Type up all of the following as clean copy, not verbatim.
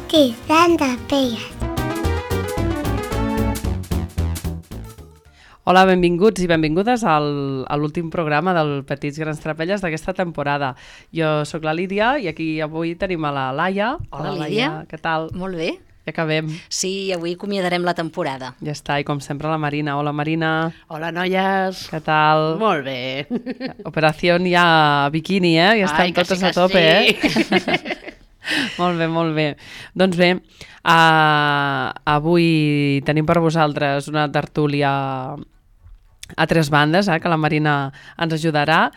Tizant de Pelles. Hola, benvinguts i benvingudes a l'últim programa del Petits Grans Trapelles d'aquesta temporada. Jo sóc la Lídia i aquí avui tenim a la Laia. Hola, Lídia. Què tal? Molt bé. Ja acabem. Sí, avui acomiadarem la temporada. Ja està, i com sempre la Marina. Hola, Marina. Hola, noies. Què tal? Molt bé. Operació ja bikini, eh? Ja estan totes a tope, eh? Molt bé, molt bé. Doncs bé, avui tenim per vosaltres una tertúlia a tres bandes, que la Marina ens ajudarà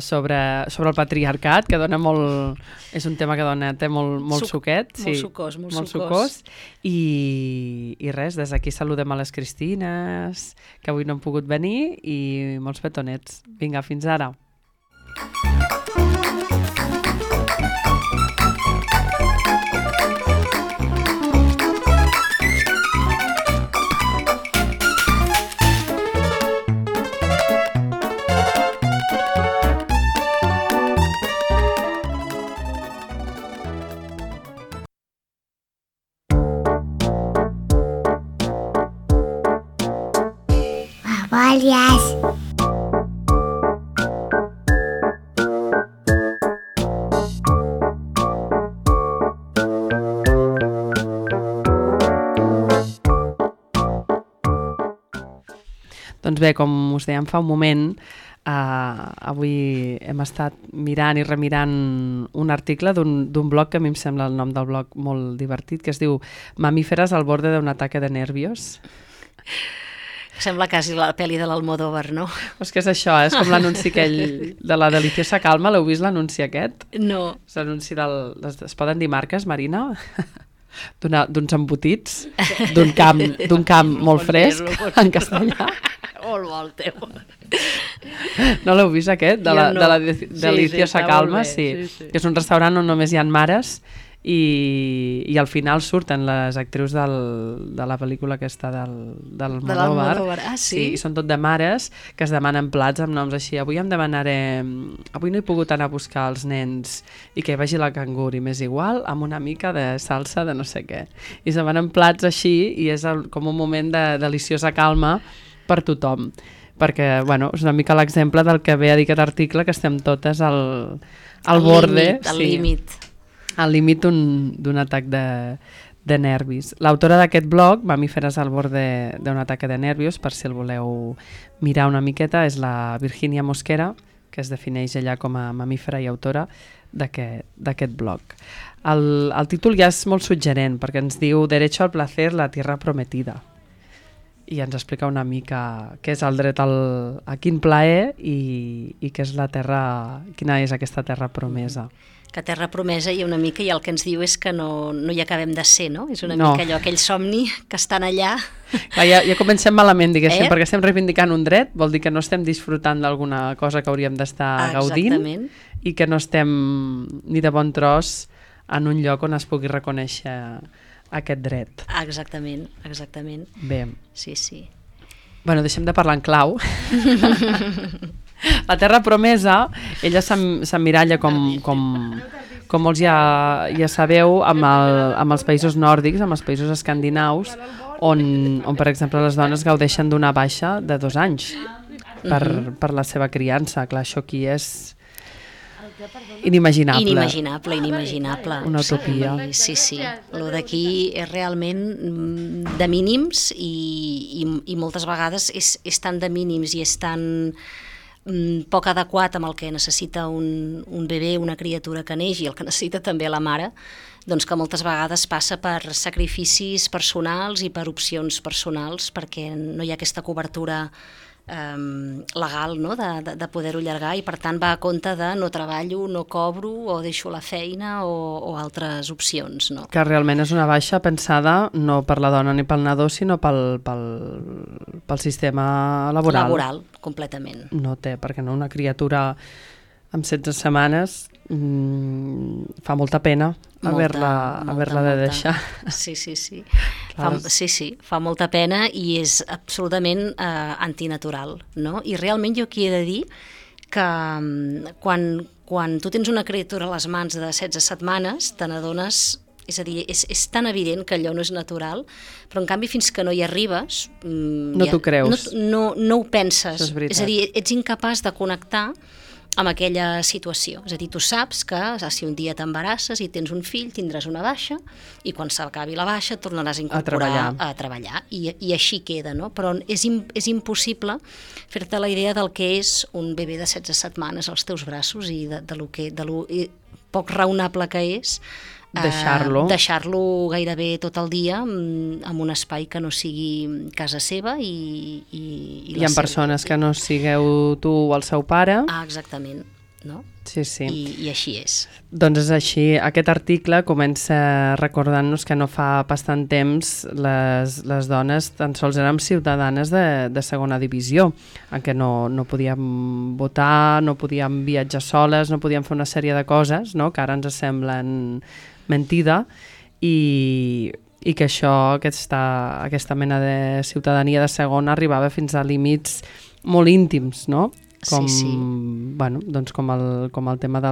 sobre el patriarcat, que dona molt... És un tema que té molt suquet. Sí, molt sucós. I res, des d'aquí saludem a les Cristines, que avui no han pogut venir, i molts petonets. Vinga, fins ara. Babòlies. Doncs bé, com us dèiem fa un moment, avui hem estat mirant i remirant un article d'un blog que a mi em sembla el nom del blog molt divertit, que es diu Mamíferas al borde de un ataque de nervios. Sembla quasi la pel·li de l'Almodóvar, no? És que és això, és com l'anunci aquell de la Deliciosa Calma. L'heu vist l'anunci aquest? No. És l'anunci es poden dir marques, Marina? D'uns embotits, d'un camp molt fresc, en castellà. Molt bo el teu. No l'heu vist aquest? De la Deliciosa Calma? Sí. Que és un restaurant on només hi ha mares i al final surten les actrius de la pel·lícula aquesta del Almodóvar. Ah, sí? Sí, i són tot de mares que es demanen plats amb noms així. Avui em demanaré... Avui no he pogut anar a buscar els nens i que vagi la cangur i m'és igual amb una mica de salsa de no sé què. I es demanen plats així i és com un moment de deliciosa calma per tothom. Perquè, bueno, és una mica l'exemple del que ve a dir aquest article, que estem totes al borde. Al límit. Al límit d'un atac de nervis. L'autora d'aquest blog, Mamíferas al borde d'un ataque de nervios, per si el voleu mirar una miqueta, és la Virginia Mosquera, que es defineix ella com a mamífera i autora d'aquest blog. El títol ja és molt suggerent, perquè ens diu Derecho al placer, la tierra prometida. I ens explica una mica què és el dret a quin plaer i què és la terra, quina és aquesta terra promesa. Que terra promesa i una mica, i el que ens diu és que no hi acabem de ser, no? És una mica allò, aquell somni que estan allà. Clar, ja comencem malament, diguéssim, perquè estem reivindicant un dret, vol dir que no estem disfrutant d'alguna cosa que hauríem d'estar gaudint i que no estem ni de bon tros en un lloc on es pugui reconèixer aquest dret. Exactament. Bé. Sí. Bueno, deixem de parlar en clau. La terra promesa, ella s'emmiralla com molts ja sabeu, amb els països nòrdics, amb els països escandinaus, on per exemple les dones gaudeixen d'una baixa de 2 anys per la seva criança. Clar, això aquí és inimaginable. Inimaginable. Una utopia. Sí. Lo d'aquí és realment de mínims i moltes vegades és tan de mínims i és tan poc adequat amb el que necessita un bebè, una criatura que neix i el que necessita també la mare, doncs que moltes vegades passa per sacrificis personals i per opcions personals perquè no hi ha aquesta cobertura legal, no? de poder-ho allargar, i per tant va a compte de no treballo, no cobro o deixo la feina o altres opcions. No? Que realment és una baixa pensada no per la dona ni pel nadó, sinó pel sistema laboral. Laboral, completament. No té, perquè no, una criatura amb 16 setmanes fa molta pena haver-la de deixar. Sí. Fa molta pena i és absolutament antinatural, no? I realment jo aquí he de dir que quan tu tens una criatura a les mans de 16 setmanes te n'adones És a dir, és tan evident que allò no és natural, però en canvi fins que no hi arribes... No t'ho creus. No ho penses. Això és veritat. És a dir, ets incapaç de connectar amb aquella situació. És a dir, tu saps que si un dia t'embarasses i tens un fill, tindràs una baixa, i quan s'acabi la baixa et tornaràs a incorporar a treballar. I així queda, no? Però és impossible fer-te la idea del que és un bebè de 16 setmanes als teus braços i de lo poc raonable que és deixar-lo gairebé tot el dia en un espai que no sigui casa seva i hi ha persones que no sigueu tu o el seu pare. Exactament, no? Sí. I així és. Doncs és així. Aquest article comença recordant-nos que no fa pas tant temps les dones tan sols érem ciutadanes de segona divisió, en què no podíem votar, no podíem viatjar soles, no podíem fer una sèrie de coses, no?, que ara ens semblen mentida, i que aquesta mena de ciutadania de segona arribava fins a límits molt íntims, no? Bueno, doncs com el tema de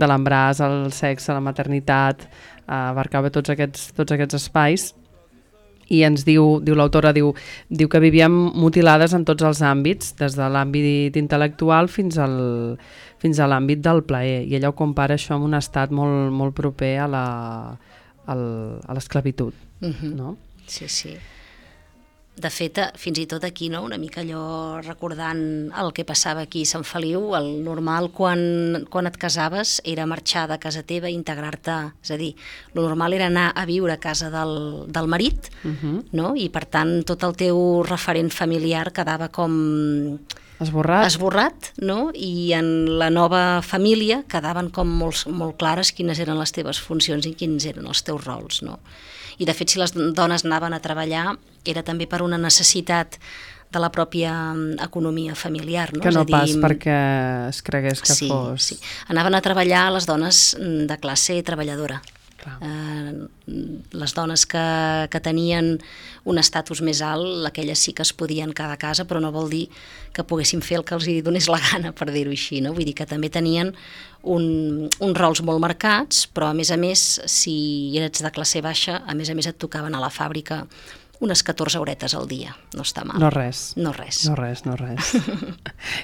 l'embràs, el sexe, la maternitat, abarcava tots aquests espais, i ens diu l'autora, diu que vivíem mutilades en tots els àmbits, des de l'àmbit intel·lectual fins a l'àmbit del plaer, i ella ho compara això amb un estat molt, molt proper a l'esclavitud. No? Sí. De fet, fins i tot aquí, no? Una mica allò recordant el que passava aquí a Sant Feliu, el normal quan et casaves era marxar de casa teva i integrar-te, és a dir, el normal era anar a viure a casa del marit, no? I per tant tot el teu referent familiar quedava com esborrat, no? I en la nova família quedaven com molt clares quines eren les teves funcions i quins eren els teus rols, no? I de fet, si les dones anaven a treballar era també per una necessitat de la pròpia economia familiar, no? Que no pas perquè es cregués que fos... Sí. Anaven a treballar les dones de classe treballadora. Les dones que tenien un estatus més alt, aquelles sí que es podien quedar a casa, però no vol dir que poguessin fer el que els hi donés la gana, per dir-ho així, no? Vull dir que també tenien uns rols molt marcats, però a més, si eres de classe baixa, a més et tocaven a la fàbrica unes 14 horetes al dia, no està mal. No res.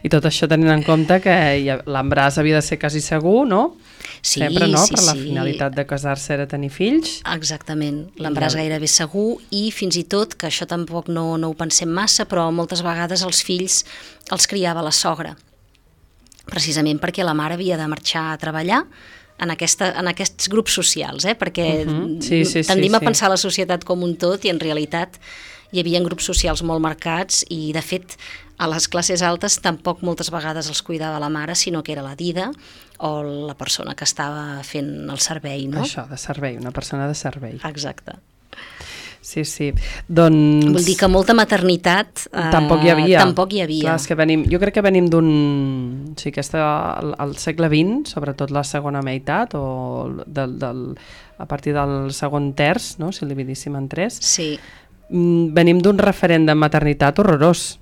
I tot això tenint en compte que l'embràs havia de ser quasi segur, no? Sí, sempre, no? Sí, per la finalitat de casar-se era tenir fills. Exactament, l'embràs gairebé segur, i fins i tot, que això tampoc no ho pensem massa, però moltes vegades els fills els criava la sogra, precisament perquè la mare havia de marxar a treballar en aquests grups socials, perquè tendim a pensar la societat com un tot i en realitat hi havia grups socials molt marcats, i de fet a les classes altes tampoc moltes vegades els cuidava la mare, sinó que era la dida o la persona que estava fent el servei, no? Això, de servei, una persona de servei. Exacte. Sí, doncs... Vull dir que molta maternitat tampoc hi havia. Clar, és que jo crec que venim d'un... O sigui, al segle XX, sobretot la segona meitat, o a partir del segon terç, no? Si el dividíssim en 3, venim d'un referent de maternitat horrorós.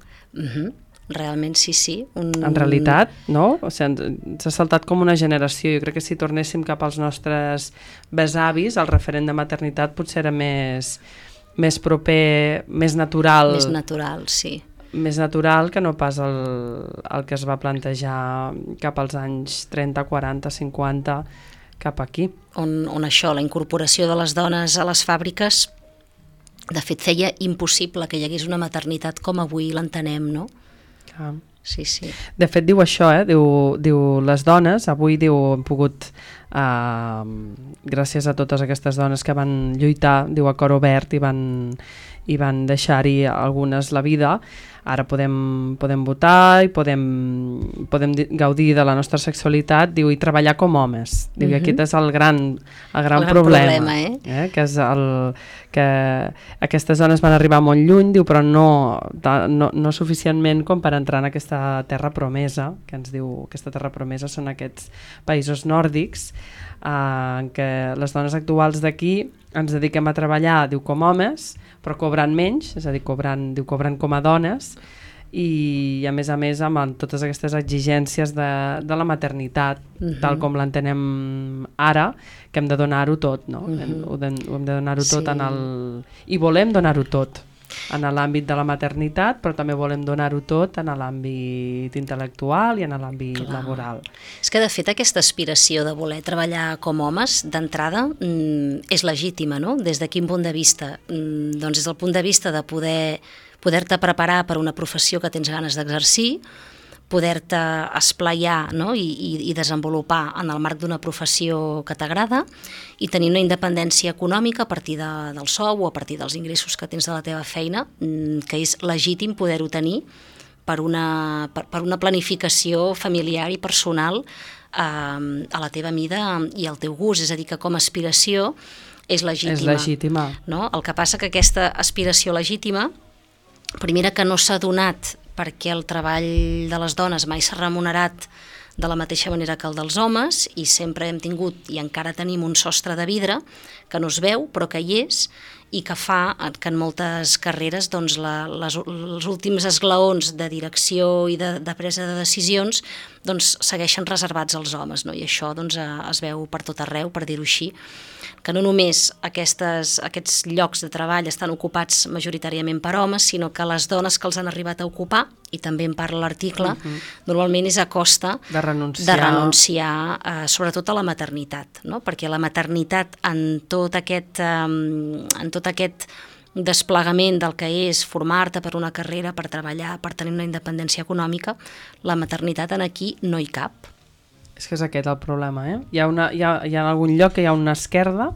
Realment sí. En realitat, no? O sigui, ens ha saltat com una generació. Jo crec que si tornéssim cap als nostres besavis, el referent de maternitat potser era més proper, més natural. Més natural, sí. Més natural que no pas el que es va plantejar cap als anys 30, 40, 50, cap aquí. On això, la incorporació de les dones a les fàbriques, de fet feia impossible que hi hagués una maternitat com avui l'entenem, no? Sí. De fet diu això, diu les dones, avui hem pogut, gràcies a totes aquestes dones que van lluitar, diu, a cor obert, i van deixar-hi algunes la vida, ara podem votar i podem gaudir de la nostra sexualitat, diu, i treballar com homes. Diu, i aquest és el gran problema, que és que aquestes dones van arribar molt lluny, diu, però no suficientment com per entrar en aquesta terra promesa, que ens diu, aquesta terra promesa són aquests països nòrdics, en què les dones actuals d'aquí ens dediquem a treballar, diu, com homes, però cobrant menys, és a dir, cobrant com a dones, i a més amb totes aquestes exigències de la maternitat, tal com l'entenem ara, que hem de donar-ho tot, no? Hem de donar-ho tot i volem donar-ho tot en l'àmbit de la maternitat, però també volem donar-ho tot en l'àmbit intel·lectual i en l'àmbit laboral. És que, de fet, aquesta aspiració de voler treballar com homes, d'entrada, és legítima, no? Des de quin punt de vista? Doncs des del punt de vista de poder-te preparar per una professió que tens ganes d'exercir, poder-te esplaiar, no? I desenvolupar en el marc d'una professió que t'agrada i tenir una independència econòmica a partir del sou o a partir dels ingressos que tens de la teva feina, que és legítim poder-ho tenir per una planificació familiar i personal a la teva mida i al teu gust. És a dir, que com a aspiració és legítima. És legítima. No? El que passa que aquesta aspiració legítima, primera, que no s'ha donat perquè el treball de les dones mai s'ha remunerat de la mateixa manera que el dels homes i sempre hem tingut i encara tenim un sostre de vidre que no es veu però que hi és i que fa que en moltes carreres doncs, els últims esglaons de direcció i de presa de decisions doncs, segueixen reservats als homes, no? I això doncs, es veu per tot arreu, per dir-ho així, que no només aquests llocs de treball estan ocupats majoritàriament per homes, sinó que les dones que els han arribat a ocupar, i també en parla l'article, normalment és a costa de renunciar sobretot a la maternitat, no? Perquè la maternitat en tot aquest desplegament del que és formar-te per una carrera, per treballar, per tenir una independència econòmica, la maternitat en aquí no hi cap. És que és aquest el problema, eh? Hi ha algun lloc que hi ha una esquerda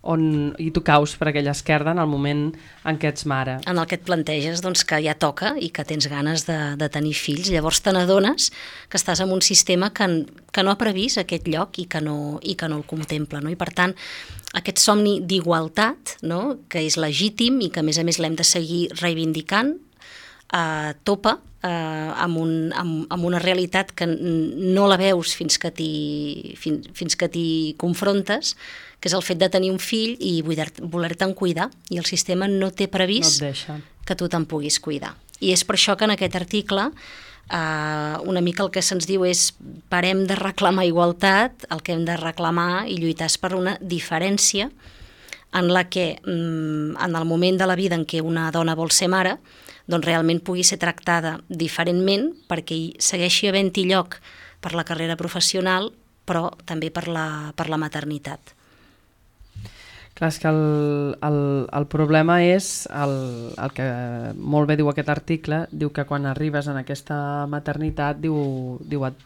i tu caus per aquella esquerda en el moment en què ets mare. En el que et planteges doncs, que ja toca i que tens ganes de tenir fills. Llavors te n'adones que estàs en un sistema que no ha previst aquest lloc i que no el contempla. No? I per tant, aquest somni d'igualtat, no? Que és legítim i que a més l'hem de seguir reivindicant, topa amb una realitat que no la veus fins que t'hi confrontes, que és el fet de tenir un fill i voler-te'n cuidar, i el sistema no té previst que tu te'n puguis cuidar. I és per això que en aquest article una mica el que se'ns diu és parem de reclamar igualtat, el que hem de reclamar i lluitar és per una diferència en la que en el moment de la vida en què una dona vol ser mare, doncs realment pugui ser tractada diferentment perquè hi segueixi havent-hi lloc per la carrera professional, però també per la maternitat. Clar, és que el problema és el que molt bé diu aquest article, diu que quan arribes en aquesta maternitat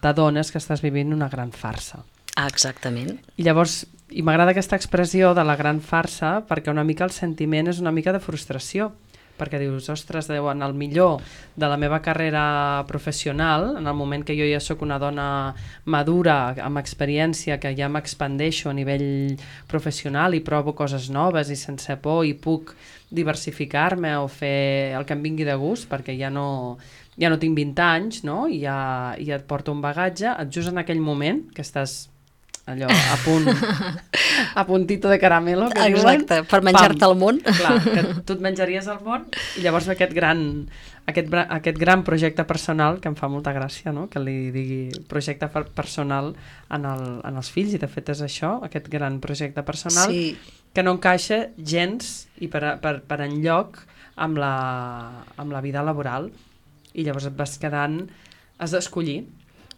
t'adones que estàs vivint una gran farsa. Exactament. I llavors, i m'agrada aquesta expressió de la gran farsa perquè una mica el sentiment és una mica de frustració, perquè dius, ostres, en el millor de la meva carrera professional, en el moment que jo ja sóc una dona madura, amb experiència, que ja m'expandeixo a nivell professional i provo coses noves i sense por i puc diversificar-me o fer el que em vingui de gust, perquè ja no tinc 20 anys, no? I ja et porto un bagatge, just en aquell moment que estàs allò, a puntito de caramelo, que diuen. Exacte, per menjar-te el món. Clar, que tu et menjaries el món i llavors aquest gran projecte personal, que em fa molta gràcia, no? Que li digui projecte personal en els fills, i de fet és això, aquest gran projecte personal, sí, que no encaixa gens i per enlloc amb la vida laboral, i llavors et vas quedant, has d'escollir,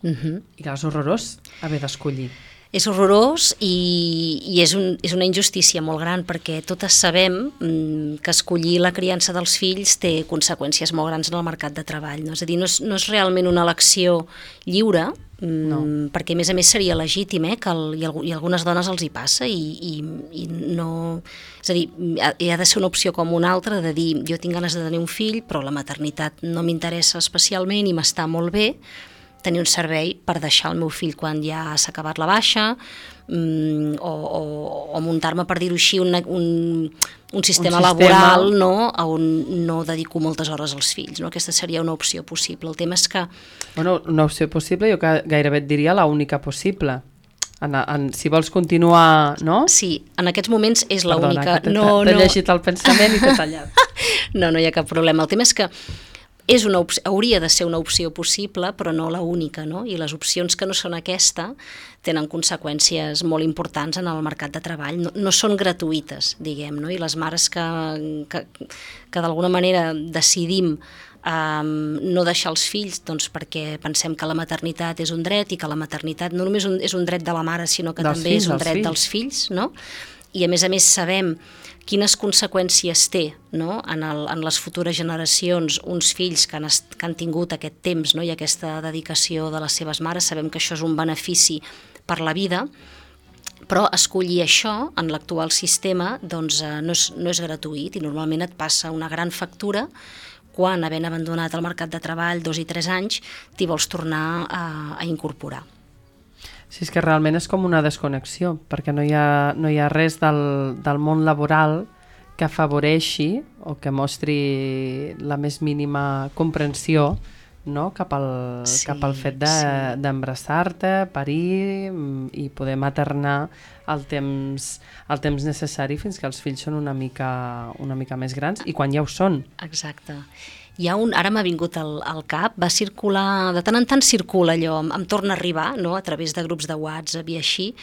i clar, és horrorós haver d'escollir. És horrorós i és una injustícia molt gran, perquè totes sabem que escollir la criança dels fills té conseqüències molt grans en el mercat de treball. No? És a dir, no és realment una elecció lliure, perquè a més seria legítim, i algunes dones els hi passa i no... És a dir, ha de ser una opció com una altra, de dir, jo tinc ganes de tenir un fill, però la maternitat no m'interessa especialment i m'està molt bé, tenir un servei per deixar el meu fill quan ja s'ha acabat la baixa, o muntar-me, per dir-ho així, un sistema laboral, no? On no dedico moltes hores als fills. No? Aquesta seria una opció possible. El tema és que... Bueno, una opció possible, jo gairebé et diria l'única possible. Si vols continuar, no? Sí, en aquests moments és l'única. Perdona, que t'he llegit el pensament i t'he tallat. No hi ha cap problema. El tema és que hauria de ser una opció possible, però no la única, no? I les opcions que no són aquesta tenen conseqüències molt importants en el mercat de treball. No són gratuïtes, diguem, no? I les mares que d'alguna manera decidim no deixar els fills, doncs perquè pensem que la maternitat és un dret i que la maternitat no només és un dret de la mare, sinó que també és un dret dels fills, no? I a més sabem quines conseqüències té, no? en les futures generacions uns fills que han tingut aquest temps, no? I aquesta dedicació de les seves mares. Sabem que això és un benefici per la vida, però escollir això en l'actual sistema doncs, no és gratuït i normalment et passa una gran factura quan, havent abandonat el mercat de treball 2 i 3 anys, t'hi vols tornar a incorporar. Sí, és que realment és com una desconnexió, perquè no hi ha res del món laboral que afavoreixi o que mostri la més mínima comprensió, no? cap al fet d'embrassar-te, parir i poder maternar el temps necessari fins que els fills són una mica més grans i quan ja ho són. Exacte. Ara m'ha vingut al cap, va circular, de tant en tant circula allò, em torna a arribar, no? A través de grups de WhatsApp i així,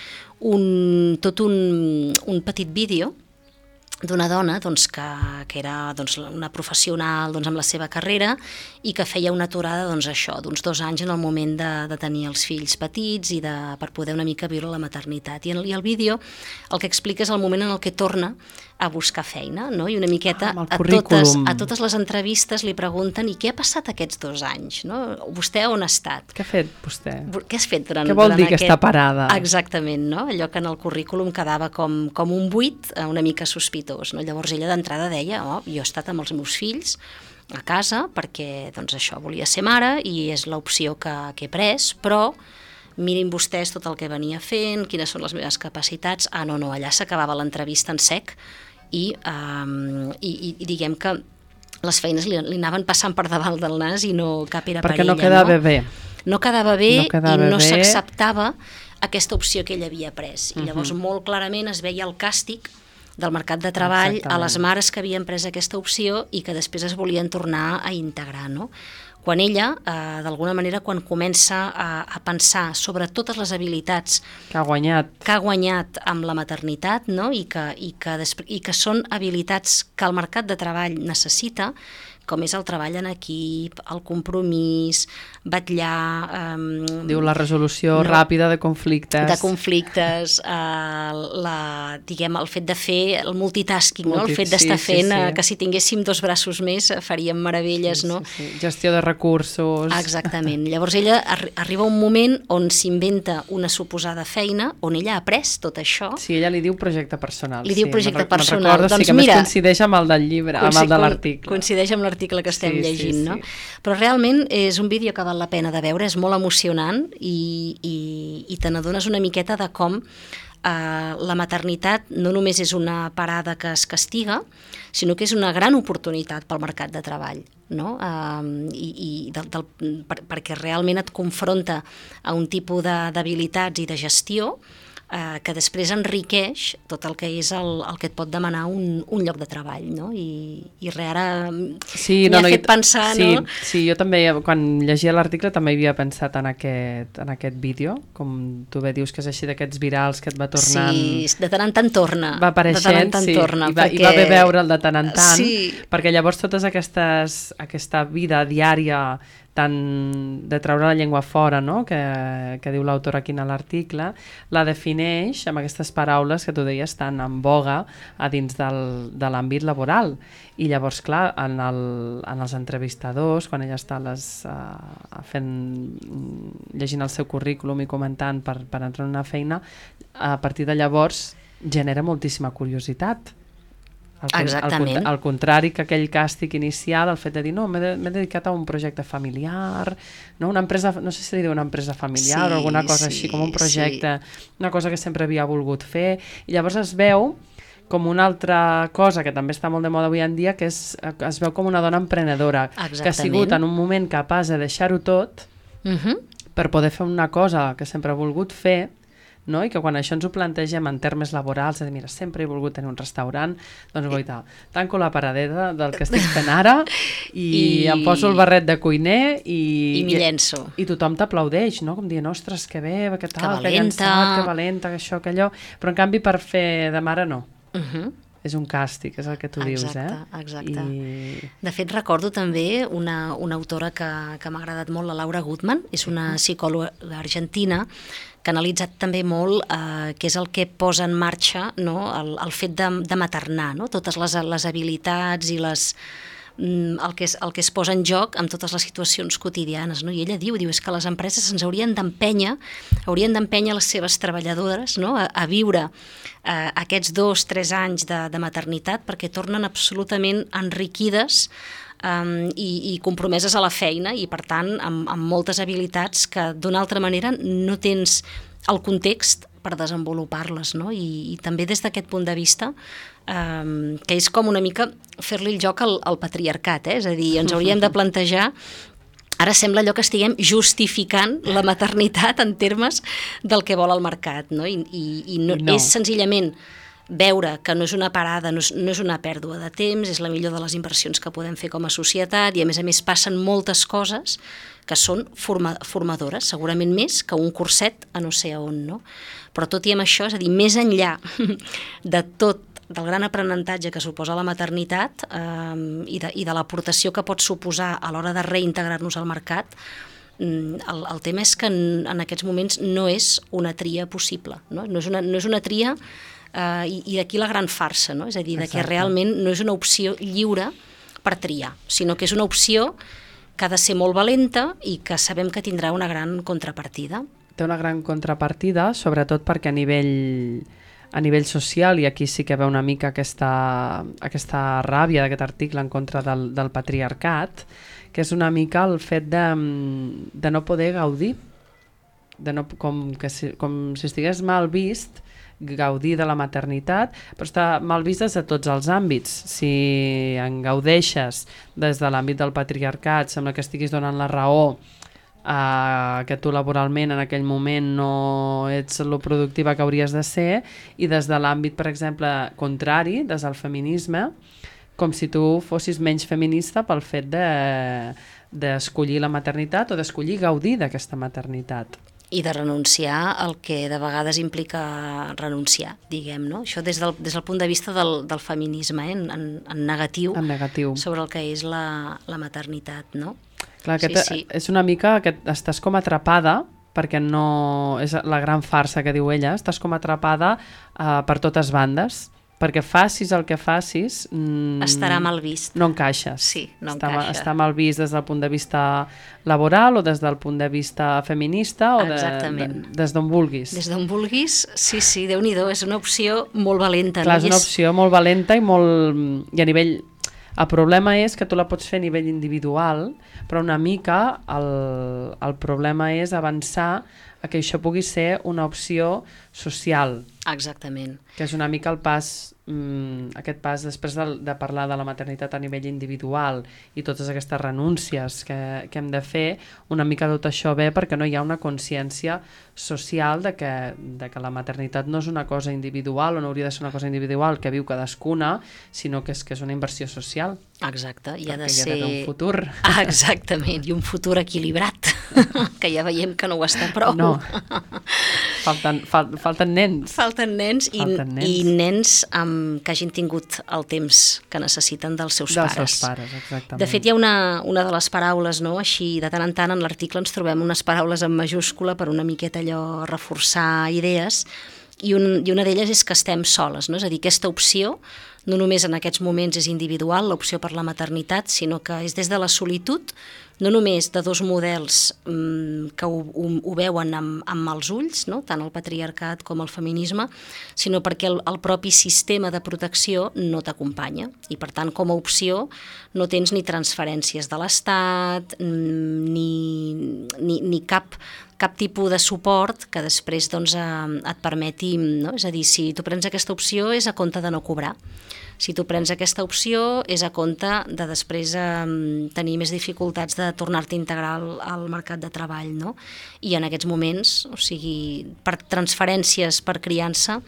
tot un petit vídeo d'una dona doncs, que era doncs, una professional doncs, amb la seva carrera i que feia una aturada d'uns 2 anys en el moment de tenir els fills petits i per poder una mica viure la maternitat. I el vídeo el que explica és el moment en el que torna a buscar feina, no? I una miqueta a totes les entrevistes li pregunten i què ha passat aquests 2 anys? No? Vostè on ha estat? Què ha fet vostè? Què has fet durant Què vol dir aquesta parada? Exactament, no? Allò que en el currículum quedava com un buit una mica sospitós. No? Llavors ella d'entrada deia, jo he estat amb els meus fills a casa perquè doncs, això volia ser mare i és l'opció que he pres, però mirin vostès tot el que venia fent, quines són les meves capacitats. No, allà s'acabava l'entrevista en sec i diguem que les feines li anaven passant per davant del nas i no cap era per ella. Perquè no quedava bé. No quedava bé i no s'acceptava aquesta opció que ella havia pres. I llavors molt clarament es veia el càstig del mercat de treball a les mares que havien pres aquesta opció i que després es volien tornar a integrar, no? Quan ella, d'alguna manera, quan comença a pensar sobre totes les habilitats que ha guanyat amb la maternitat, no? I que són habilitats que el mercat de treball necessita, com és el treball en equip, el compromís, vetllar... Diu la resolució ràpida de conflictes. De conflictes, diguem, el fet de fer el multitasking, no? El fet d'estar fent que si tinguéssim 2 braços més faríem meravelles, no? Gestió de recursos... Exactament. Llavors ella arriba un moment on s'inventa una suposada feina, on ella ha après tot això. Sí, ella li diu projecte personal. Li diu projecte personal. Me'n recordo, sí, que més coincideix amb el del llibre, amb el de l'article. Coincideix amb l'article que estem llegint, no? Però realment és un vídeo que val la pena de veure, és molt emocionant i te n'adones una miqueta de com la maternitat no només és una parada que es castiga, sinó que és una gran oportunitat pel mercat de treball, no? Perquè realment et confronta a un tipus d'habilitats i de gestió que després enriqueix tot el que és el que et pot demanar un lloc de treball, no? I ara m'ha fet pensar, no? Sí, jo també, quan llegia l'article, també havia pensat en aquest vídeo, com tu bé dius que és així d'aquests virals que et va tornant... Sí, de tant en tant torna. Va apareixent, sí, i va bé veure'l de tant en tant, perquè llavors aquesta vida diària tant de treure la llengua fora, no? que diu l'autor aquí en l'article, la defineix amb aquestes paraules que tu deies tan en boga a dins de l'àmbit laboral. I llavors, clar, en els entrevistadors, quan ella està llegint el seu currículum i comentant per entrar en una feina, a partir de llavors genera moltíssima curiositat. Exactament. Al contrari que aquell càstig inicial, el fet de dir, no, m'he dedicat a un projecte familiar, no? Una empresa, no sé si li diu una empresa familiar o alguna cosa així, com un projecte, una cosa que sempre havia volgut fer, i llavors es veu com una altra cosa que també està molt de moda avui en dia, que es veu com una dona emprenedora, que ha sigut en un moment capaç de deixar-ho tot per poder fer una cosa que sempre ha volgut fer, no? I que quan això ens ho plantegem en termes laborals, de dir, mira, sempre he volgut tenir un restaurant, doncs goita, tanco la paradeta del que estic fent ara i em poso el barret de cuiner i m'hi llenço. I tothom t'aplaudeix, no? Com dient, ostres, que bé, que tal, que llançat, que valenta, que això, que allò, però en canvi per fer de mare no. És un càstig, és el que tu dius, Exacte. De fet, recordo també una autora que m'ha agradat molt, la Laura Gutman, és una psicòloga argentina que ha analitzat també molt què és el que posa en marxa, no? el fet de maternar, no? Totes les habilitats i el que es posa en joc amb totes les situacions quotidianes, no? I ella diu és que les empreses ens haurien d'empènyer les seves treballadores, no? a viure aquests 2-3 anys de maternitat perquè tornen absolutament enriquides i compromeses a la feina i per tant amb moltes habilitats que d'una altra manera no tens el context per desenvolupar-les, no? I també des d'aquest punt de vista que és com una mica fer-li el joc al patriarcat, és a dir, ens hauríem de plantejar, ara sembla allò que estiguem justificant la maternitat en termes del que vol el mercat, no? I no. És senzillament veure que no és una parada, no és una pèrdua de temps, és la millor de les inversions que podem fer com a societat i a més passen moltes coses que són formadores, segurament més que un curset a no sé on, no? Però tot i amb això, és a dir, més enllà de tot del gran aprenentatge que suposa la maternitat i de l'aportació que pot suposar a l'hora de reintegrar-nos al mercat, el tema és que en aquests moments no és una tria possible, no és una tria i d'aquí la gran farsa, no? És a dir, que realment no és una opció lliure per triar, sinó que és una opció que ha de ser molt valenta i que sabem que tindrà una gran contrapartida. Té una gran contrapartida, sobretot perquè a nivell social, i aquí sí que veu una mica aquesta ràbia d'aquest article en contra del patriarcat, que és una mica el fet de no poder gaudir, com si estigués mal vist gaudir de la maternitat, però està mal vist des de tots els àmbits. Si en gaudeixes des de l'àmbit del patriarcat, sembla que estiguis donant la raó que tu laboralment en aquell moment no ets lo productiva que hauries de ser, i des de l'àmbit, per exemple, contrari, des del feminisme, com si tu fossis menys feminista pel fet d'escollir la maternitat o d'escollir gaudir d'aquesta maternitat. I de renunciar al que de vegades implica renunciar, diguem, no? Això des del punt de vista del feminisme, en negatiu, sobre el que és la maternitat, no? Clar, és una mica que estàs com atrapada, perquè no és la gran farsa que diu ella, estàs com atrapada per totes bandes, perquè facis el que facis... estarà mal vist. No encaixes. Sí, no encaixa. Està mal vist des del punt de vista laboral o des del punt de vista feminista o des d'on vulguis. Des d'on vulguis, sí, Déu-n'hi-do, és una opció molt valenta. Clar, és una opció molt valenta i a nivell... El problema és que tu la pots fer a nivell individual, però una mica el problema és avançar a que això pugui ser una opció social. Exactament. Que és una mica el pas, aquest pas després de parlar de la maternitat a nivell individual i totes aquestes renúncies que hem de fer, una mica tot això ve perquè no hi ha una consciència social de que la maternitat no és una cosa individual o no hauria de ser una cosa individual que viu cadascuna, sinó que és una inversió social. Exacte, i ha de ser... un futur. Exactament, i un futur equilibrat, que ja veiem que no ho està prou. No, falten nens. Falten nens i nens que hagin tingut el temps que necessiten dels seus pares. Dels seus pares, exactament. De fet, hi ha una de les paraules, no? Així, de tant en tant, en l'article ens trobem unes paraules en majúscula per una miqueta allò reforçar idees, i una d'elles és que estem soles, no? És a dir, aquesta opció no només en aquests moments és individual, l'opció per la maternitat, sinó que és des de la solitud, no només de dos models que ho veuen amb mals ulls, no? Tant el patriarcat com el feminisme, sinó perquè el propi sistema de protecció no t'acompanya. I per tant, com a opció, no tens ni transferències de l'Estat, ni cap tipus de suport que després et permeti, no? És a dir, si tu prens aquesta opció és a compte de no cobrar. Si tu prens aquesta opció, és a compte de després tenir més dificultats de tornar-te a integrar al mercat de treball, no? I en aquests moments, o sigui, per transferències per criança,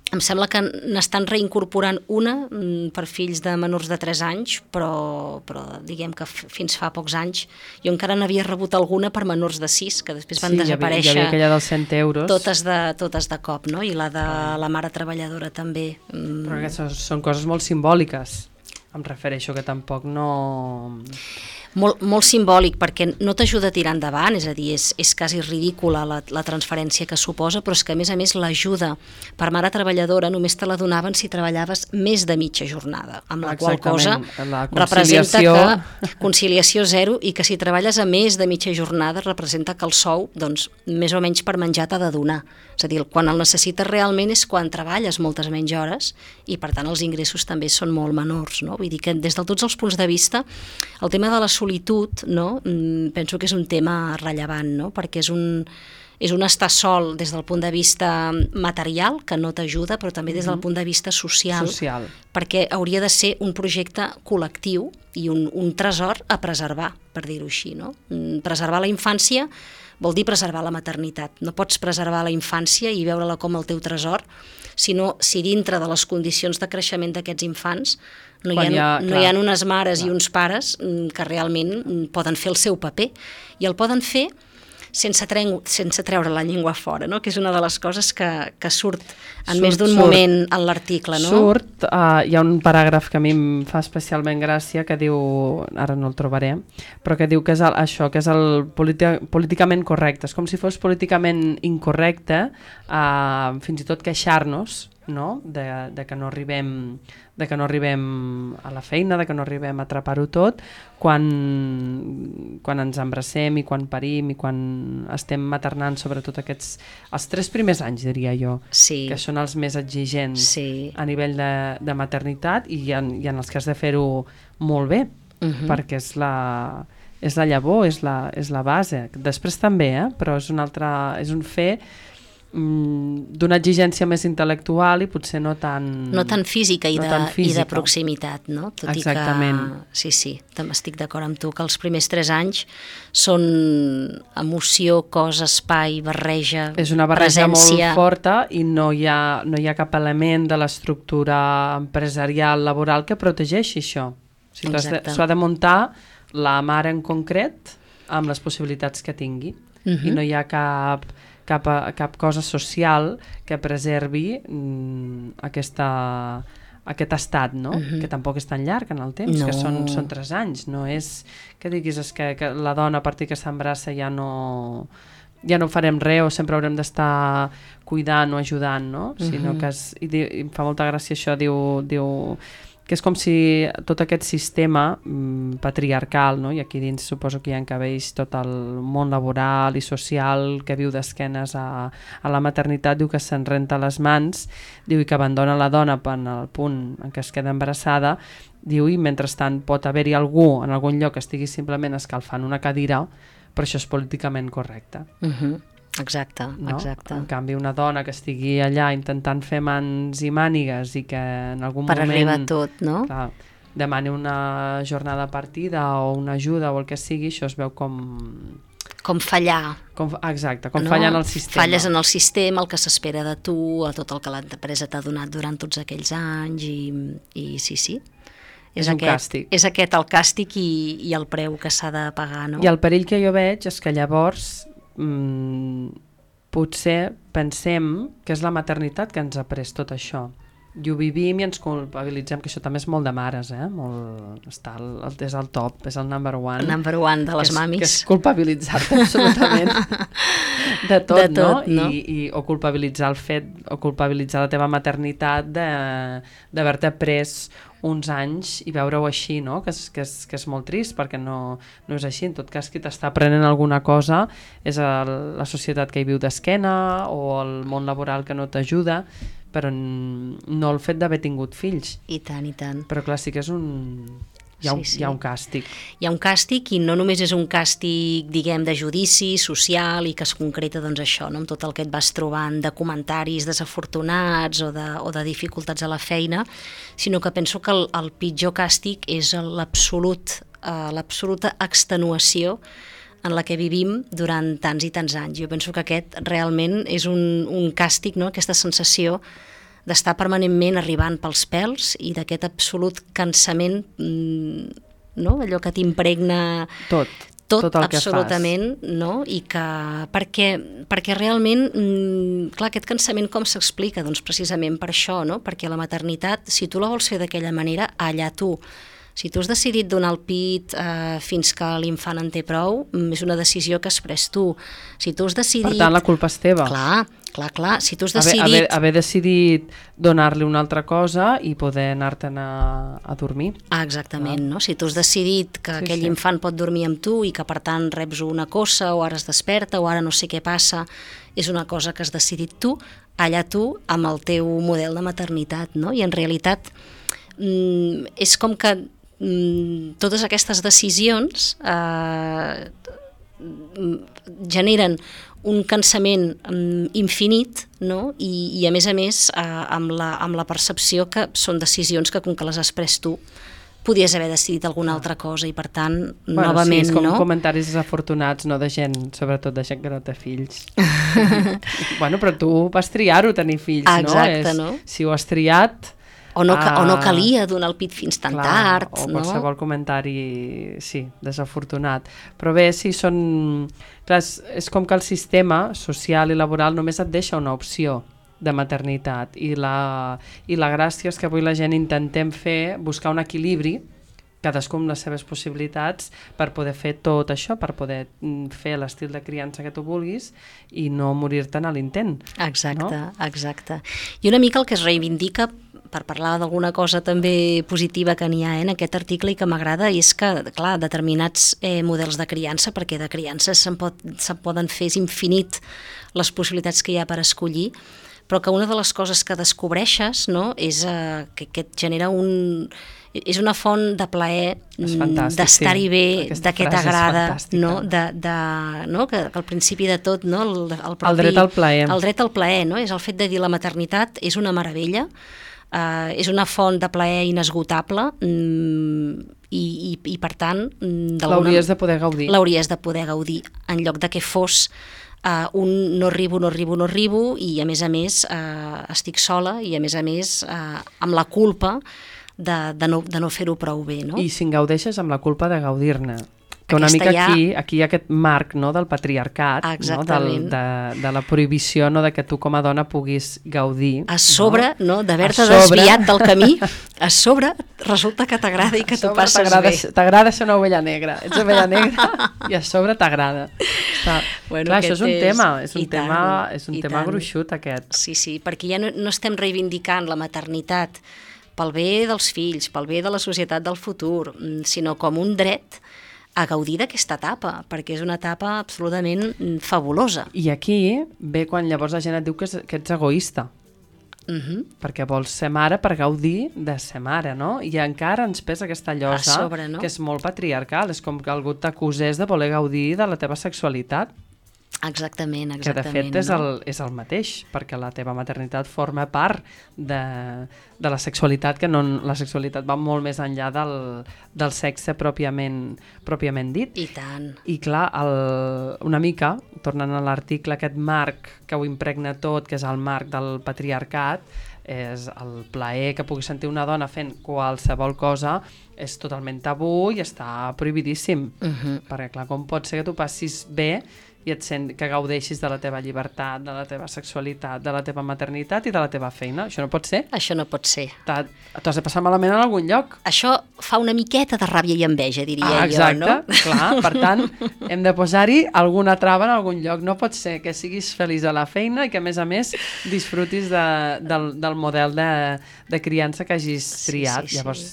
em sembla que n'estan reincorporant una per fills de menors de 3 anys, però diguem que fins fa pocs anys jo encara n'havia rebut alguna per menors de 6, que després van desaparèixer. Hi havia aquella dels 100 euros. Totes de cop, no? I la de la mare treballadora també. Però aquestes són coses molt simbòliques. Em refereixo que tampoc no... Molt simbòlic, perquè no t'ajuda a tirar endavant, és a dir, és quasi ridícula la transferència que suposa, però és que a més l'ajuda per mare treballadora només te la donaven si treballaves més de mitja jornada, amb la qual cosa representa que conciliació zero, i que si treballes a més de mitja jornada representa que el sou, doncs, més o menys per menjar t'ha de donar. És a dir, quan el necessites realment és quan treballes moltes menys hores i per tant els ingressos també són molt menors, no? Vull dir que des de tots els punts de vista el tema de la solitud, no? Penso que és un tema rellevant, no? Perquè és un estar sol des del punt de vista material, que no t'ajuda, però també des del punt de vista social, perquè hauria de ser un projecte col·lectiu i un tresor a preservar, per dir-ho així, no? Preservar la infància vol dir preservar la maternitat. No pots preservar la infància i veure-la com el teu tresor, sinó si dintre de les condicions de creixement d'aquests infants no hi ha unes mares i uns pares que realment poden fer el seu paper, i el poden fer sense treure la llengua fora, no? Que és una de les coses que surt en més d'un moment en l'article, no? Hi ha un paràgraf que a mi em fa especialment gràcia, que diu, ara no el trobaré, però que diu que és això, que és el políticament correcte. És com si fos políticament incorrecte fins i tot queixar-nos, no? de que no arribem a la feina, de que no arribem a atrapar-ho tot quan ens embracem i quan parim i quan estem maternant, sobretot els 3 primers anys, diria jo, que són els més exigents a nivell de maternitat, i en els que has de fer-ho molt bé, perquè és la llavor, és la base. Després també, però és un fer d'una exigència més intel·lectual i potser no tan física i de proximitat, no? Tot exactament. I que sí, també estic d'acord amb tu que els primers 3 anys són emoció, cos, espai, barreja, és una barreja presència molt forta, i no hi ha cap element de l'estructura empresarial, laboral, que protegeixi això. O sigui, s'ha de muntar la mare en concret amb les possibilitats que tingui, i no hi ha cap cosa social que preservi aquest estat, no? Que tampoc és tan llarg en el temps, que són 3 anys. No és que diguis que la dona a partir que s'embraça ja no farem res, o sempre haurem d'estar cuidant o ajudant, no? Sinó que em fa molta gràcia això, diu que és com si tot aquest sistema patriarcal, no? I aquí dins suposo que hi encabeix tot el món laboral i social que viu d'esquenes a la maternitat, diu que se'n renta les mans, diu, i que abandona la dona en el punt en què es queda embarassada, diu, i mentrestant pot haver-hi algú en algun lloc que estigui simplement escalfant una cadira, però això és políticament correcte. Exacte, no? Exacte. En canvi, una dona que estigui allà intentant fer mans i mànigues i que en algun per moment... arribar a tot, no? Clar, demani una jornada partida o una ajuda o el que sigui, això es veu com fallar. Exacte, com fallar en el sistema. Falles en el sistema, el que s'espera de tu, a tot el que l'empresa t'ha donat durant tots aquells anys, i sí. És un càstig. És aquest el càstig i el preu que s'ha de pagar, no? I el perill que jo veig és que llavors potser pensem que és la maternitat que ens ha pres tot això, i ho vivim i ens culpabilitzem, que això també és molt de mares, és el top, és el number one. El number one de les mamis. Que és culpabilitzar-te absolutament de tot, no? O culpabilitzar el fet, o culpabilitzar la teva maternitat d'haver-te pres uns anys i veure-ho així, no? Que és molt trist, perquè no és així. En tot cas, qui t'està aprenent alguna cosa és la societat que hi viu d'esquena o el món laboral que no t'ajuda, però no el fet d'haver tingut fills. I tant, i tant. Però clar, sí que és un hi ha un càstig. Hi ha un càstig i no només és un càstig, diguem, de judici social i que es concreta, doncs, això, no? Amb tot el que et vas trobant de comentaris desafortunats o de dificultats a la feina, sinó que penso que el pitjor càstig és l'absoluta extenuació en la que vivim durant tants i tants anys. Jo penso que aquest realment és un càstig, no? Aquesta sensació d'estar permanentment arribant pels pèls i d'aquest absolut cansament, no? Allò que t'impregna tot el que absolutament, fas. No? I que, perquè realment, clar, aquest cansament com s'explica? Doncs precisament per això, no? Perquè la maternitat, si tu la vols fer d'aquella manera, allà tu. Si tu has decidit donar el pit fins que l'infant en té prou, és una decisió que has pres tu. Si tu has decidit... Per tant, la culpa és teva. Clar. Si tu has decidit... Haver decidit donar-li una altra cosa i poder anar-te'n a dormir. Exactament, no? Si tu has decidit que aquell infant pot dormir amb tu i que, per tant, reps una cossa o ara es desperta o ara no sé què passa, és una cosa que has decidit tu, allà tu, amb el teu model de maternitat, no? I en realitat és com que totes aquestes decisions generen un cansament infinit, no? I a més, amb la percepció que són decisions que, com que les has pres tu, podies haver decidit alguna altra cosa i, per tant, novament, sí, és com no? comentaris desafortunats, no? De gent, sobretot de gent que no té fills. Bueno, però tu vas triar-ho, tenir fills, exacte, no? Si ho has triat... O no calia donar el pit fins tan tard. O qualsevol comentari, sí, desafortunat. Però bé, sí, són... Clar, és com que el sistema social i laboral només et deixa una opció de maternitat i la gràcia és que avui la gent intentem buscar un equilibri, cadascú amb les seves possibilitats, per poder fer tot això, per poder fer l'estil de criança que tu vulguis i no morir-te'n a l'intent. Exacte. I una mica el que es reivindica, per parlar d'alguna cosa també positiva que n'hi ha en aquest article i que m'agrada, és que, clar, determinats models de criança, perquè de criança se'n poden fer, és infinit les possibilitats que hi ha per escollir, però que una de les coses que descobreixes, no, és que et genera és una font de plaer d'estar-hi bé, de què t'agrada, no? No? Que al principi de tot, no? El dret al plaer. El dret al plaer, no? És el fet de dir la maternitat és una meravella, és una font de plaer inesgotable i per tant... L'hauries de poder gaudir. L'hauries de poder gaudir, en lloc de que fos un no arribo i a més estic sola i a més amb la culpa de no fer-ho prou bé, no? I si en gaudeixes amb la culpa de gaudir-ne. Que una mica aquí hi ha aquest marc, no, del patriarcat, no, de la prohibició, no, de que tu com a dona puguis gaudir. A sobre, no, d'haver-te desviat del camí, a sobre resulta que t'agrada i que t'ho passes bé. T'agrada ser una ovella negra. Ets ovella negra i a sobre t'agrada. Clar, això és un tema, és un tema gruixut aquest. Sí, perquè ja no estem reivindicant la maternitat pel bé dels fills, pel bé de la societat del futur, sinó com un dret a gaudir d'aquesta etapa, perquè és una etapa absolutament fabulosa. I aquí ve quan llavors la gent et diu que ets egoista, perquè vols ser mare per gaudir de ser mare, no? I encara ens pesa aquesta llosa sobre, no? Que és molt patriarcal, és com que algú t'acusés de voler gaudir de la teva sexualitat. Exactament. Que de fet és el mateix, perquè la teva maternitat forma part de la sexualitat, que la sexualitat va molt més enllà del sexe pròpiament dit. I tant. I clar, una mica, tornant a l'article, aquest marc que ho impregna tot, que és el marc del patriarcat, és el plaer que pugui sentir una dona fent qualsevol cosa, és totalment tabú i està prohibidíssim. Perquè clar, com pot ser que tu passis bé i que gaudeixis de la teva llibertat, de la teva sexualitat, de la teva maternitat i de la teva feina? Això no pot ser. Això no pot ser. T'has de passar malament en algun lloc. Això fa una miqueta de ràbia i enveja, diria jo, no? Exacte, clar. Per tant, hem de posar-hi alguna trava en algun lloc. No pot ser que siguis feliç a la feina i que, a més, disfrutis del model de criança que hagis triat. Sí. Llavors,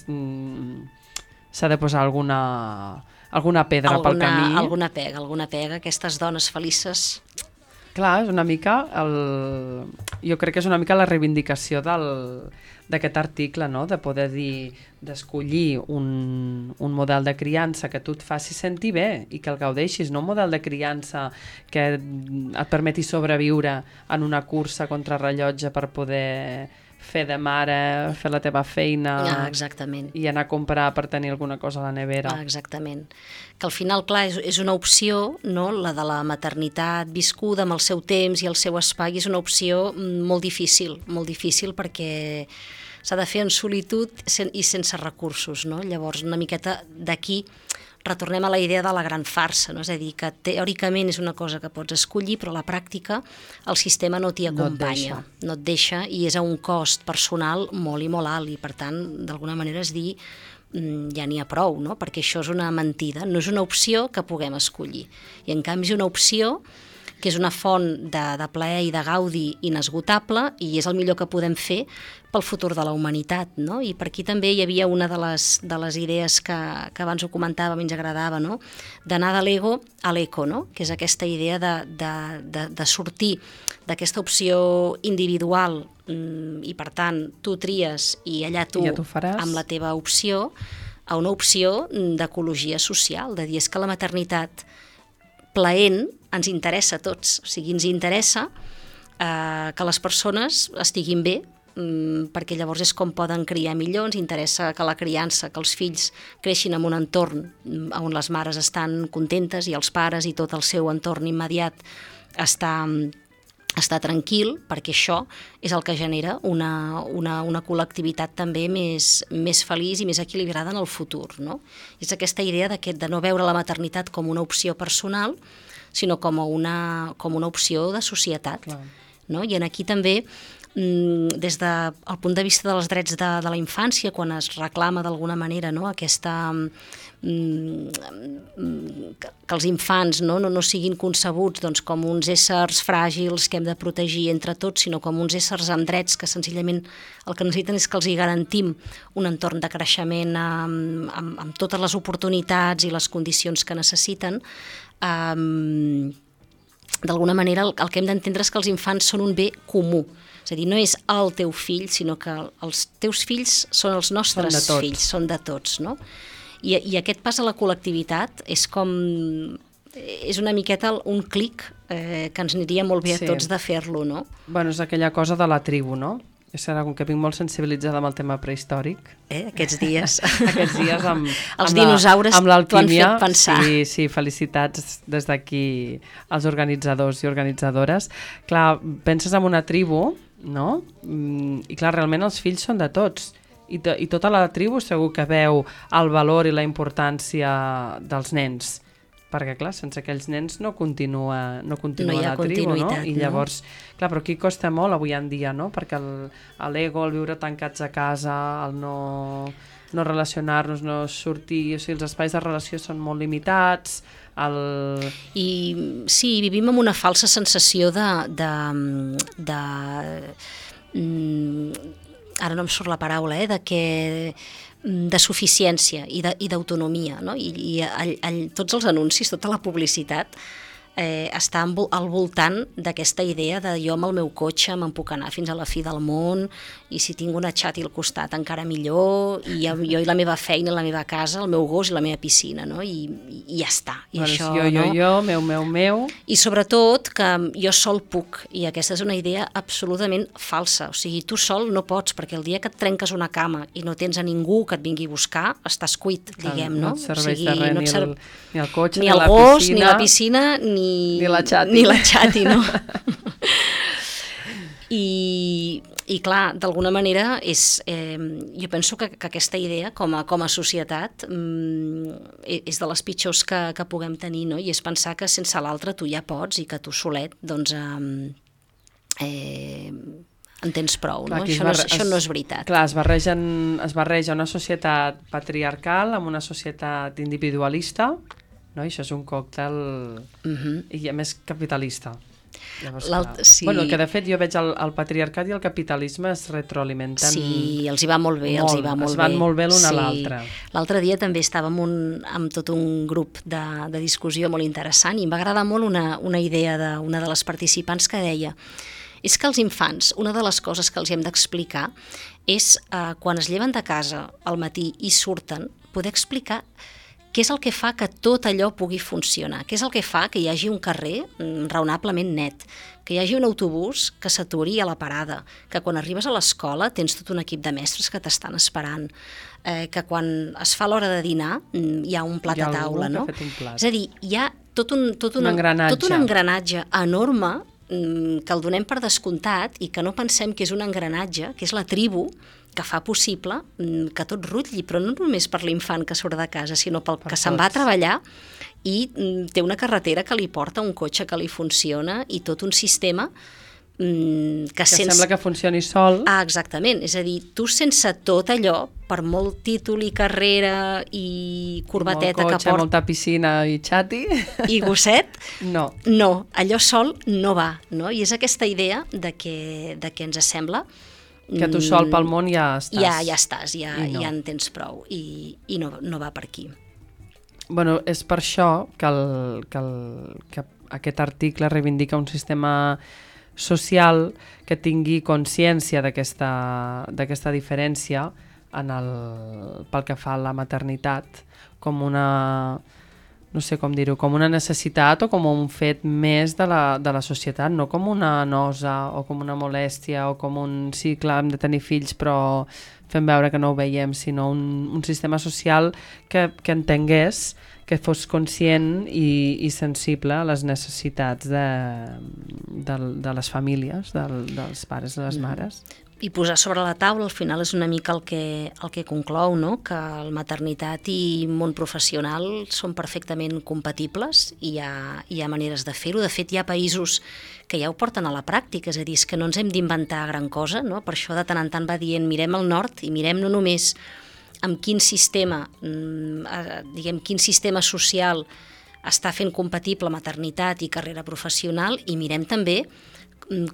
s'ha de posar alguna pedra pel camí. Alguna pega. Aquestes dones felices Clar, és una mica jo crec que és una mica la reivindicació d'aquest article, no? De poder dir, d'escollir un model de criança que tu et faci sentir bé i que el gaudeixis, no un model de criança que et permeti sobreviure en una cursa contra rellotge per poder fer de mare, fer la teva feina Exactament. i anar a comprar per tenir alguna cosa a la nevera. Exactament. Que al final, clar, és una opció, no? La de la maternitat viscuda amb el seu temps i el seu espai és una opció molt difícil perquè s'ha de fer en solitud i sense recursos, no? Llavors, una miqueta d'aquí retornem a la idea de la gran farsa, no? És a dir, que teòricament és una cosa que pots escollir, però a la pràctica el sistema no t'hi acompanya, no et deixa i és a un cost personal molt i molt alt i per tant, d'alguna manera és dir ja n'hi ha prou, no? Perquè això és una mentida, no és una opció que puguem escollir i en canvi és una opció que és una font de plaer i de gaudi inesgotable i és el millor que podem fer pel futur de la humanitat, no? I per aquí també hi havia una de les idees que abans ho comentàvem i ens agradava, no? D'anar de l'ego a l'eco, no? Que és aquesta idea de sortir d'aquesta opció individual i per tant tu tries i allà tu amb la teva opció a una opció d'ecologia social, de dir és que la maternitat plaent ens interessa a tots, o sigui, ens interessa que les persones estiguin bé, perquè llavors és com poden criar millor, ens interessa que la criança, que els fills creixin en un entorn on les mares estan contentes i els pares i tot el seu entorn immediat està tranquil, perquè això és el que genera una col·lectivitat també més feliç i més equilibrada en el futur, no? És aquesta idea de no veure la maternitat com una opció personal, sinó com una opció de societat. No? I aquí també, des del punt de vista dels drets de la infància, quan es reclama d'alguna manera, no? Aquesta que els infants no siguin concebuts com uns éssers fràgils que hem de protegir entre tots, sinó com uns éssers amb drets que senzillament el que necessiten és que els hi garantim un entorn de creixement amb totes les oportunitats i les condicions que necessiten. D'alguna manera el que hem d'entendre és que els infants són un bé comú, és a dir, no és el teu fill, sinó que els teus fills són els nostres fills, són de tots, no? I aquest pas a la col·lectivitat és una miqueta un clic que ens aniria molt bé a tots de fer-lo, no? Bueno, és aquella cosa de la tribu, no? Serà com que vinc molt sensibilitzada amb el tema prehistòric. Aquests dies. Aquests dies amb els dinosaures t'ho han fet pensar. Sí, felicitats des d'aquí als organitzadors i organitzadores. Clar, penses en una tribu, no? I clar, realment els fills són de tots. I tota la tribu segur que veu el valor i la importància dels nens. Perquè, clar, sense aquells nens no continua la tribu, no? I llavors, clar, però aquí costa molt avui en dia, no? Perquè l'ego, el viure tancats a casa, el no relacionar-nos, no sortir, o sigui, els espais de relació són molt limitats, I sí, vivim amb una falsa sensació ara no em surt la paraula, de suficiència i d'autonomia, no? I tots els anuncis, tota la publicitat està al voltant d'aquesta idea de jo amb el meu cotxe me'n puc anar fins a la fi del món i si tinc una xati al costat encara millor, i jo i la meva feina, la meva casa, el meu gos i la meva piscina, no? I ja està. I això, meu. I sobretot que jo sol puc, i aquesta és una idea absolutament falsa. O sigui, tu sol no pots, perquè el dia que et trenques una cama i no tens a ningú que et vingui a buscar, estàs cuit, diguem, no? No et serveix de res ni el cotxe, ni el gos, ni la piscina, ni la xati. Ni la xati, no? I clar, d'alguna manera jo penso que aquesta idea com a societat és de les pitjors que puguem tenir, no? I és pensar que sense l'altre tu ja pots i que tu solet doncs en tens prou, no? Això no és veritat. Clar, es barreja una societat patriarcal amb una societat individualista, no? I això és un còctel i a més capitalista. Llavors, Sí. Bueno, que de fet jo veig el patriarcat i el capitalisme es retroalimenten. Sí, els hi va molt bé, els hi va molt es van bé. molt bé l'un a Sí. l'altre. L'altre dia també estàvem amb tot un grup de discussió molt interessant i em va agradar molt una idea d'una de les participants que deia és que els infants, una de les coses que els hem d'explicar és quan es lleven de casa al matí i surten, poder explicar què és el que fa que tot allò pugui funcionar, què és el que fa que hi hagi un carrer raonablement net, que hi hagi un autobús que s'aturi a la parada, que quan arribes a l'escola tens tot un equip de mestres que t'estan esperant, que quan es fa l'hora de dinar hi ha un plat a taula, no? És a dir, hi ha tot un engranatge enorme que el donem per descomptat i que no pensem que és un engranatge, que és la tribu, que fa possible que tot rutlli, però no només per l'infant que surt de casa, sinó pel que se'n va a treballar i té una carretera que li porta, un cotxe que li funciona i tot un sistema que sembla que funcioni sol. Exactament, és a dir, tu sense tot allò, per molt títol i carrera i corbateta molt cotxe, que porta... molta piscina i xati... I gosset... No, allò sol no va, no? I és aquesta idea de que ens sembla... Que tu sol pel món ja estàs. Ja estàs, ja en tens prou i no va per aquí. Bueno, és per això que aquest article reivindica un sistema social que tingui consciència d'aquesta diferència pel que fa a la maternitat com una, no sé com dir-ho, com una necessitat o com un fet més de la societat, no com una nosa o com una molèstia o com un sí, clar, hem de tenir fills però fem veure que no ho veiem, sinó un sistema social que entengués, que fos conscient i sensible a les necessitats de les famílies, dels pares i les mares. I posar sobre la taula, al final és una mica el que conclou, no? Que la maternitat i món professional són perfectament compatibles i hi ha maneres de fer-ho. De fet, hi ha països que ja ho porten a la pràctica, és a dir, és que no ens hem d'inventar gran cosa, no? Per això de tant en tant va dient mirem al nord i mirem no només amb quin sistema, quin sistema social està fent compatible maternitat i carrera professional i mirem també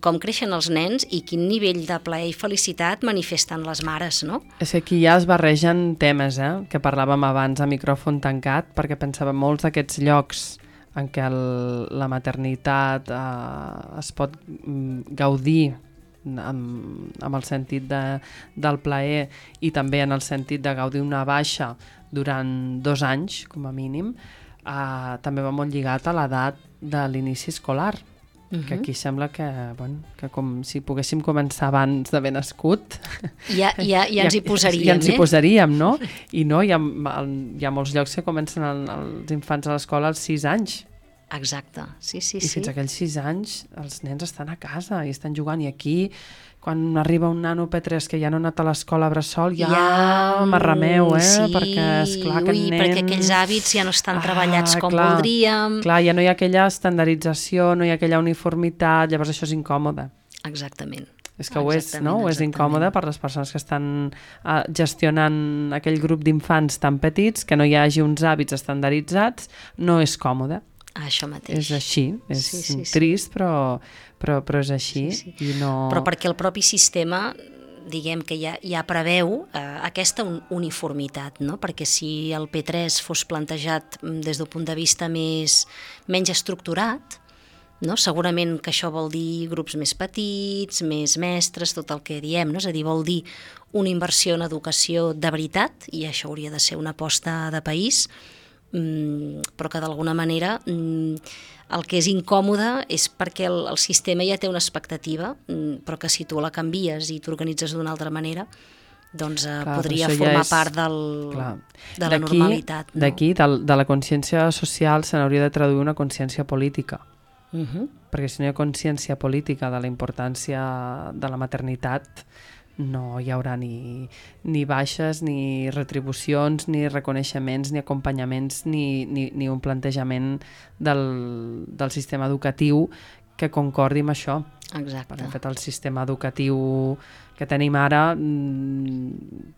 com creixen els nens i quin nivell de plaer i felicitat manifesten les mares, no? És que aquí ja es barregen temes, que parlàvem abans a micròfon tancat, perquè pensàvem molts d'aquests llocs en què la maternitat es pot gaudir amb el sentit del plaer i també en el sentit de gaudir una baixa durant 2 anys, com a mínim, també va molt lligat a l'edat de l'inici escolar. Que aquí sembla que com si poguéssim començar abans d'haver nascut ja ens hi posaríem, ja ens hi posaríem, no? I no, hi ha molts llocs que comencen els infants a l'escola als 6 anys. Exacte, sí. I fins a aquells 6 anys els nens estan a casa i estan jugant, i aquí quan arriba un nano P3 que ja no ha anat a l'escola a bressol ja m'arrameu, sí, perquè esclar aquest nen... perquè aquells hàbits ja no estan treballats com voldríem. Clar, ja no hi ha aquella estandardització, no hi ha aquella uniformitat, llavors això és incòmode. Exactament. És que ho és, no? Ho és incòmode per les persones que estan gestionant aquell grup d'infants tan petits, que no hi hagi uns hàbits estandarditzats, no és còmode. Això mateix. És així, és trist, però és així. Sí. I no... Però perquè el propi sistema, diguem que ja preveu aquesta uniformitat, no? Perquè si el P3 fos plantejat des d'un punt de vista menys estructurat, no? Segurament que això vol dir grups més petits, més mestres, tot el que diem, no? És a dir, vol dir una inversió en educació de veritat, i això hauria de ser una aposta de país, però que d'alguna manera el que és incòmode és perquè el sistema ja té una expectativa, però que si tu la canvies i t'organitzes d'una altra manera, doncs podria formar part de la normalitat. No? D'aquí, de la consciència social, se n'hauria de traduir una consciència política. Perquè si no hi ha consciència política de la importància de la maternitat, no hi haurà ni baixes, ni retribucions, ni reconeixements, ni acompanyaments, ni un plantejament del sistema educatiu que concordi amb això. Exacte. De fet, el sistema educatiu que tenim ara,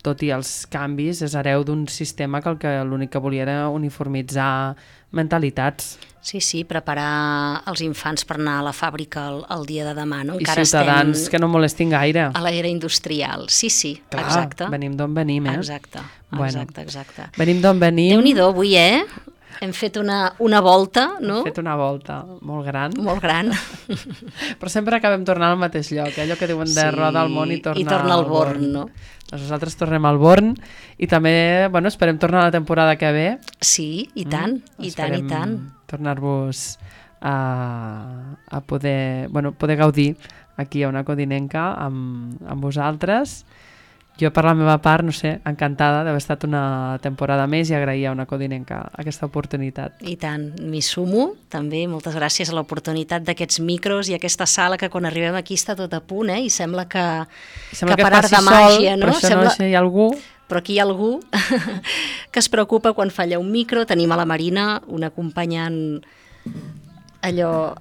tot i els canvis, és hereu d'un sistema que l'únic que volia era uniformitzar mentalitats. Sí, preparar els infants per anar a la fàbrica el dia de demà, no? I Encara ciutadans que no molestin gaire. a l'era industrial. Sí, Clar, exacte. venim d'on venim, Exacte. Venim d'on venim. Déu-n'hi-do, avui, hem fet una volta, no? Hem fet una volta molt gran. Molt gran. Però sempre acabem tornant al mateix lloc, allò que diuen de roda al món i torna al Born, no? Doncs nosaltres tornem al Born i també, esperem tornar la temporada que ve. Sí, i tant, i tant, i tant. Tornar-vos a poder gaudir aquí a una codinenca amb vosaltres. Jo, per la meva part, no sé, encantada d'haver estat una temporada més i agrair a una codinenca aquesta oportunitat. I tant, m'hi sumo, també, moltes gràcies a l'oportunitat d'aquests micros i aquesta sala que quan arribem aquí està tot a punt, i sembla que per art de màgia, no? Però això no sé, hi ha algú... Però aquí hi ha algú que es preocupa quan falla un micro. Tenim a la Marina, una acompanyant allò...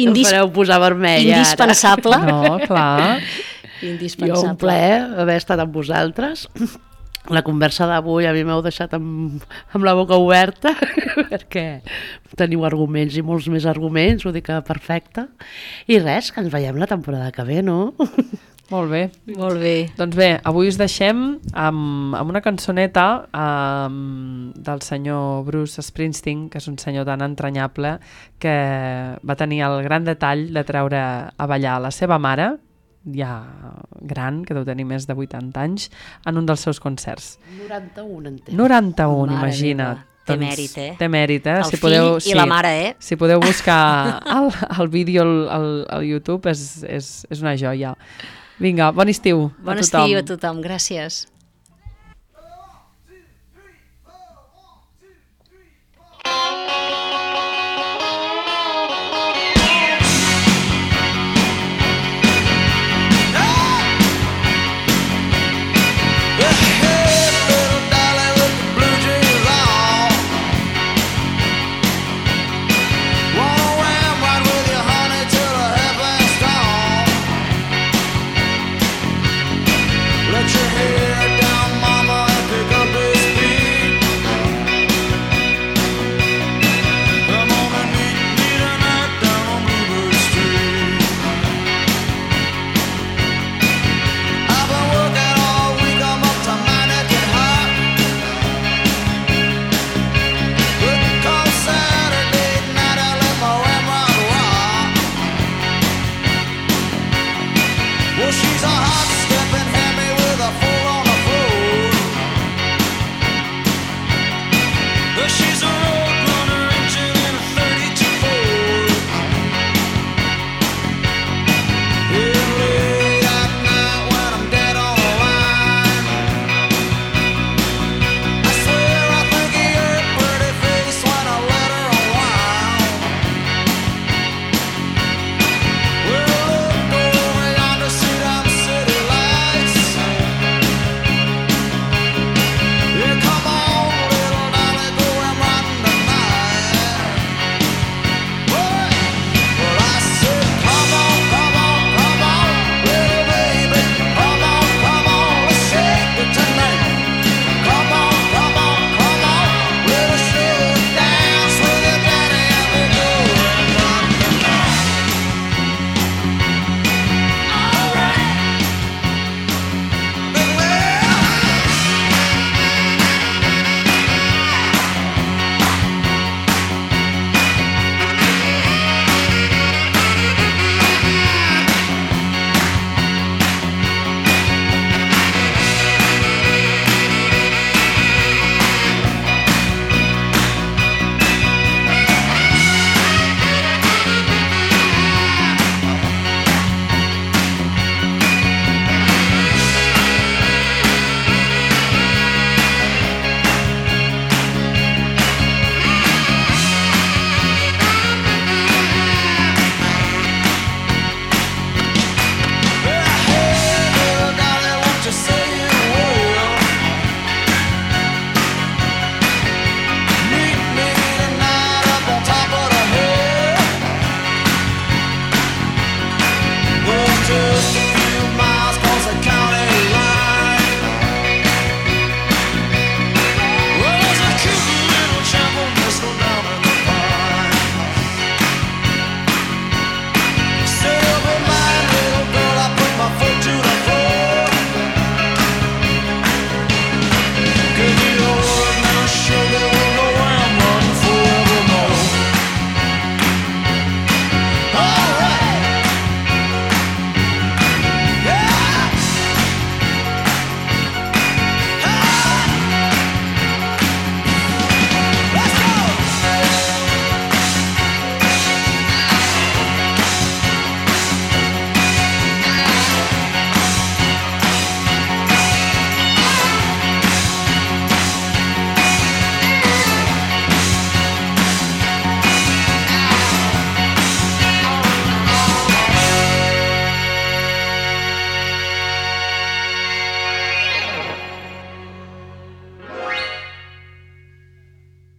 Em fareu posar vermella indispensable. No, clar. Indispensable. Jo un plaer haver estat amb vosaltres. La conversa d'avui a mi m'heu deixat amb la boca oberta perquè teniu arguments i molts més arguments, ho dic perfecte. I res, que ens veiem la temporada que ve, no? Molt bé. Molt bé. Doncs bé, avui us deixem amb una cançoneta del senyor Bruce Springsteen, que és un senyor tan entranyable que va tenir el gran detall de treure a ballar la seva mare, ja gran, que deu tenir més de 80 anys, en un dels seus concerts. 91, entenc. 91, Mare imagina't. meva. Té mèrit, Té mèrit, El fill i la mare, Si podeu buscar el vídeo al YouTube, és una joia. Vinga, bon estiu a tothom. Bon estiu a tothom, gràcies. Hey!